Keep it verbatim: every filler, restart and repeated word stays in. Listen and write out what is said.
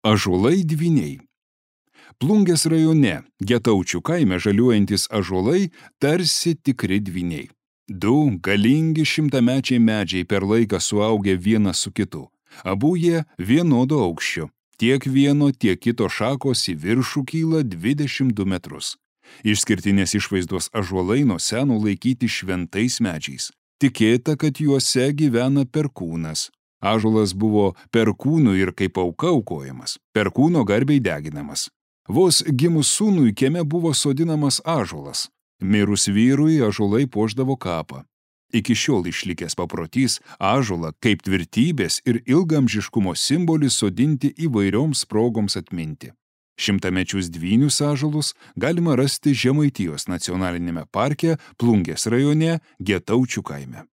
Ąžuolai dvyniai. Plungės rajone, Getaučių kaime žaliuojantis ąžuolai tarsi tikri dvyniai. Du galingi šimtamečiai medžiai per laiką suaugę vienas su kitu. Abu jie vienodo aukščio. Tiek vieno, tiek kito šakos į viršų kyla dvidešimt du metrus. Išskirtinės išvaizdos ąžuolai nuo seno laikyti šventais medžiais. Tikėta, kad juose gyvena perkūnas. Ąžuolas buvo perkūnų ir kaip auka aukojamas, perkūno garbei deginamas. Vos gimus sūnui kieme buvo sodinamas ąžuolas. Mirus vyrui ąžuolai puošdavo kapą. Iki šiol išlikęs paprotys ąžuolą kaip tvirtybės ir ilgaamžiškumo simbolį sodinti įvairioms progoms atminti. Šimtamečius dvynius ąžuolus galima rasti Žemaitijos nacionalinėme parke Plungės rajone Getaučių kaime.